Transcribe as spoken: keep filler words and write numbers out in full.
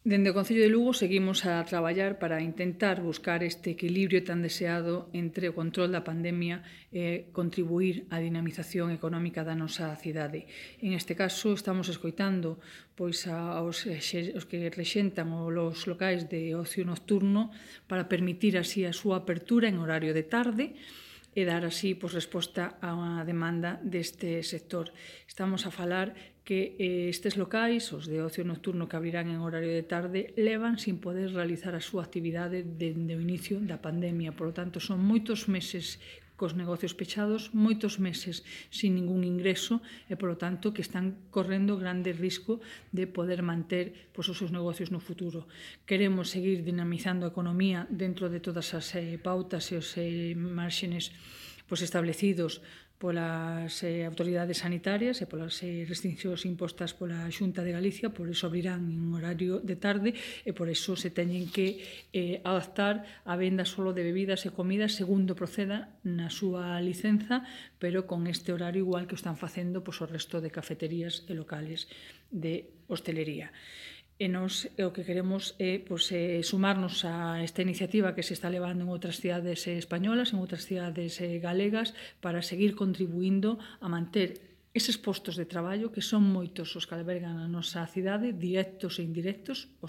Dende o Concello de Lugo seguimos a traballar para intentar buscar este equilibrio tan deseado entre o control da pandemia e contribuir á dinamización económica da nosa cidade. En este caso, estamos escoitando pois, aos, os que rexentan os locais de ocio nocturno para permitir así a súa apertura en horario de tarde e dar así pois, resposta a unha demanda deste sector. Estamos a falar que eh, estes locais, os de ocio nocturno que abrirán en horario de tarde, levan sin poder realizar a súa actividade dende o inicio da pandemia. Por lo tanto, son moitos meses cos negocios pechados, moitos meses sin ningún ingreso e, por lo tanto, que están correndo grande risco de poder manter pois, os seus negocios no futuro. Queremos seguir dinamizando a economía dentro de todas as eh, pautas e os eh, márgenes pois, establecidos polas eh, autoridades sanitarias e polas eh, restriccións impostas pola Xunta de Galicia, por iso abrirán en horario de tarde e por iso se teñen que eh, adaptar a venda solo de bebidas e comidas segundo proceda na súa licenza, pero con este horario igual que o están facendo pois, o resto de cafeterías e locales de hostelería. E nos o que queremos é pois, eh, sumarnos a esta iniciativa que se está levando en outras cidades eh, españolas, en outras cidades eh, galegas, para seguir contribuindo a manter eses postos de traballo que son moitos os que albergan a nosa cidade, directos e indirectos,